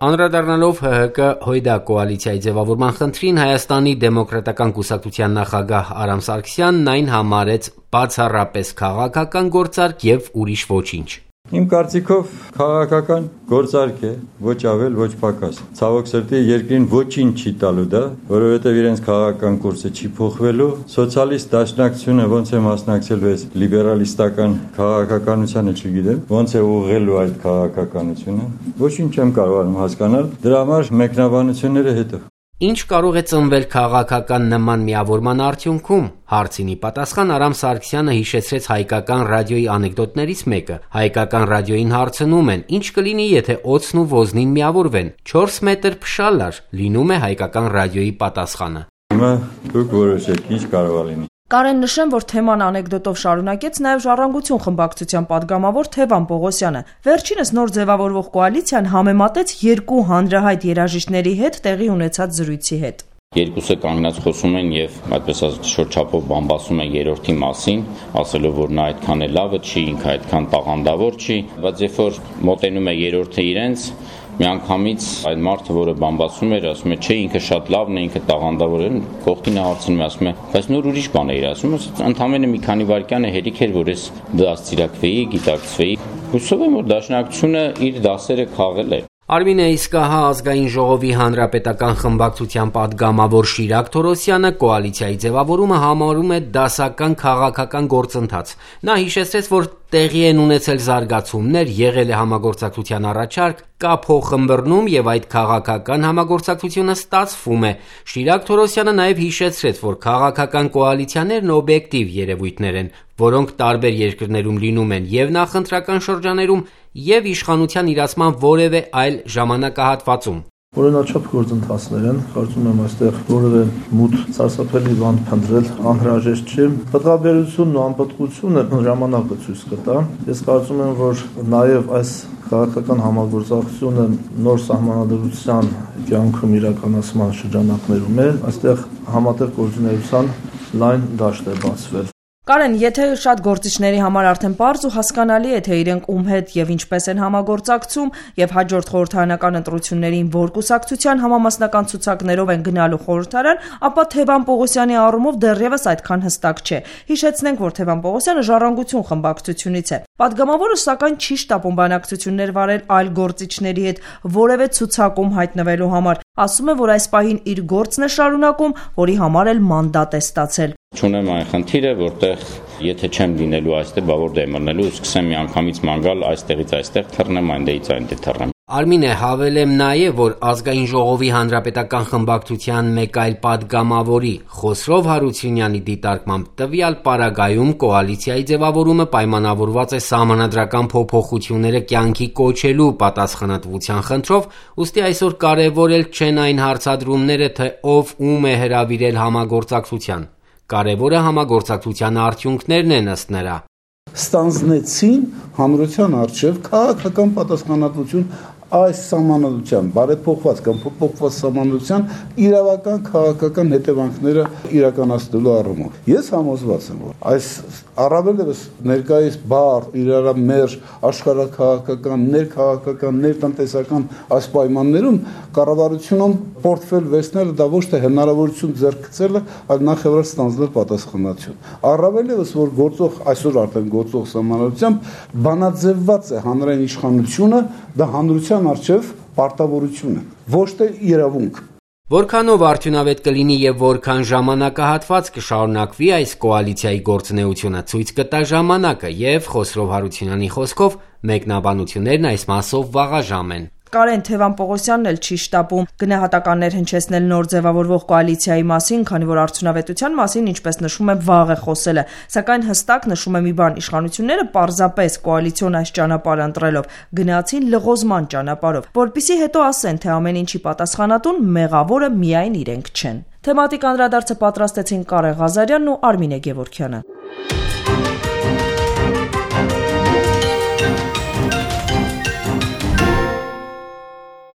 Անդրադառնալով ՀՀԿ Հույդա կոալիցիայի ձևավորման խնդրին Հայաստանի դեմոկրատական կուսակցության նախագահ Արամ Սարգսյանն այն համարեց բացառապես քաղաքական գործարք եւ ուրիշ ոչինչ։ Իմ կարծիքով քաղաքական գործարք է, ոչ ավել, ոչ պակաս։ Ցավոք սրտի երկրին ոչինչ չի տալու դա, որովհետև իրենց քաղաքական կուրսը չի փոխվելու։ Սոցիալիստ դաշնակցությունը ոնց է մասնակցել այս լիբերալիստական քաղաքականությանը, չգիտեմ, ոնց է ուղղելու այդ քաղաքականությունը։ Ոչինչ չեմ կարողանում հասկանալ։ Դրա համար մեկնաբանությունները հետո։ Ինչ կարող է ծնվել քաղաքական նման միավորման արդյունքում, հարցինի պատասխան Արամ Սարգսյանը հիշեցրեց հայկական ռադիոյի անեկդոտներից մեկը։ Հայկական ռադիոյին հարցնում են, ինչ կլինի, եթե օձն ու ոզնին միավորվեն։ 4 մետր փշալար, լինում է հայկական ռադիոյի պատասխանը։ Հիմա դուք որոշեք, ինչ կարող է լինի։ Կարեն նշեմ, որ թեման անեկդոտով շարունակեց նաև Ժառանգություն խմբակցության падգամավոր Թևան Պողոսյանը։ Վերջինս նոր ձևավորվող կոալիցիան համեմատեց երկու հանրահայտ երաժիշտների հետ տեղի ունեցած զրույցի հետ։ Երկուսը կանգնած խոսում են եւ այդպես ասած շրջափով բամբասում են երրորդի մասին, ասելով որ նա այդքան է լավը չի, ինքը այդքան տաղանդավոր չի, բայց երբ որ մոտենում է երրորդը իրենց, միանգամից այդ մարդը, որը բամբասում էր, ասում է, չէ, ինքը շատ լավն է, ինքը տաղանդավոր է, կողքինը հարցնում է, ասում է, բայց նոր ուրիշ բան է իր ասում, ընդամենը մի քանի վայրկյան է հերիք էր, որ ես դաստիարակվեի, գիտակցվեի։ Հուսով եմ, որ դաշնակցությունը իր դասերը քաղել է։ Արմինե Իսկահա ազգային ժողովի հանրապետական խմբակցության падգամավոր Շիրակ Թորոսյանը կոալիցիայի ձևավորումը համարում է դասական քաղաքական գործընթաց։ Նա հիշեցրեց, որ տեղի են ունեցել զարգացումներ, եղել է համագործակցության առաջարկ, կա փոխըմբռնում եւ այդ քաղաքական համագործակցությունը ստացվում է։ Շիրակ Թորոսյանը նաեւ հիշեցրեց, որ քաղաքական կոալիցիաներն օբյեկտիվ երևույթներ են, որոնք տարբեր երկրներում լինում են եւ նախընտրական շրջաներում եւ իշխանության իրացման որևէ այլ ժամանակահատվածում։ Օրինաչափ գործընթացներ են, կարծում եմ այստեղ որևէ մութ սարսափելի բան փնտրել անհրաժեշտ չէ։ Պատվաբերությունն ու անպատվությունը ժամանակը ցույց կտա։ Ես կարծում եմ, որ նաև այս քաղաքական համագործակցությունը նոր սահմանադրության կյանքում իրականացման շրջանակներում է, այստեղ համատեղ գործունեության լայն դաշտ է բացվել։ Կարեն, եթե շատ գործիչների համար արդեն պարզ ու հասկանալի է, թե իրենք ում հետ եւ ինչպես են համագործակցում եւ հաջորդ խորհրդարանական ընտրություններին որ կուսակցության համամասնական ցուցակներով են գնալու խորհրդարան, ապա Թևան Պողոսյանի առումով դեռևս այդքան հստակ չէ։ Հիշեցնենք, որ Թևան Պողոսյանը Ժառանգություն խմբակցությունից է։ Պատգամավորը սակայն չի շտապում բանակցություններ վարել այլ գործիչների հետ որևէ ցուցակում հայտնվելու համար։ Ասում է, որ այս պահին իր գործն է շարունակում, որի համար էլ մանդատ է ստացել։ Չունեմ այն խնդիրը, որտեղ եթե չեմ լինելու այստեղ, բա որտեղ եմ մնալու, սկսեմ միանգամից մանգալ այստեղից այստեղ թռնեմ, այնտեղից այնտեղ թռնեմ։ Արմինե, հավելեմ նաև, որ ազգային ժողովի հանրապետական խմբակցության մեկ այլ падգամավորի Խոսրով Հարությունյանի դիտարկմամբ տվյալ պարագայում կոալիցիայի ձևավորումը պայմանավորված է սահմանադրական փոփոխությունները կյանքի կոչելու պատասխանատվության խնդրով, ուստի այսօր կարևորել չեն այն հարցադրումները, թե ով ում է հրավիրել համագործակցության։ Կարևորը համագործակցության արդյունքներն են ըստ նրա։ Ստանձնեցին հանրության առջև քաղաքական պատասխանատվություն այս սահմանադրության բարեփոխված կամ փոփոխված սահմանադրության իրավական քաղաքական հետևանքները իրականացնելու առումով։ Ես համոզված եմ, որ այս առավելևս ներկայիս բար, իրարամերժ, աշխարհաքաղաքական, ներքաղաքական, ներտնտեսական այս պայմաններում կառավարությունում պորտֆել վերցնելը դա ոչ թե հնարավորություն ձեռք գցելը, այլ նախևառ ստանձնել պատասխանատվություն։ Առավելևս որ գործող այսօր արդեն գործող սահմանադրությամբ բանաձևված է հանրային իշխանությունը, դա հանրության առջև պարտավորություն է, ոչ թե իրավունք։ Որքանով արդյունավետ կլինի եւ որքան ժամանակահատված կշարունակվի այս կոալիցիայի գործունեությունը ցույց կտա ժամանակը եւ Խոսրով Հարությունյանի խոսքով մեկնաբանություններն այս մասով վաղաժամ են։ Կարեն Թևան Պողոսյանն էլ չի շտապում գնահատականներ հնչեցնել նոր ձևավորվող կոալիցիայի մասին, քանի որ արդյունավետության մասին, ինչպես նշում է, վաղ է խոսելը, սակայն հստակ նշում է մի բան՝ իշխանությունները պարզապես կոալիցիոն այս ճանապարհը ընտրելով գնացին լղոզման ճանապարհով, որպիսի հետո ասեն, թե ամեն ինչի պատասխանատուն մեղավորը միայն իրենք չեն։ Թեմատիկ անդրադարձը պատրաստեցին Կարեն Ղազարյանն ու Արմինե Գևորգյանը։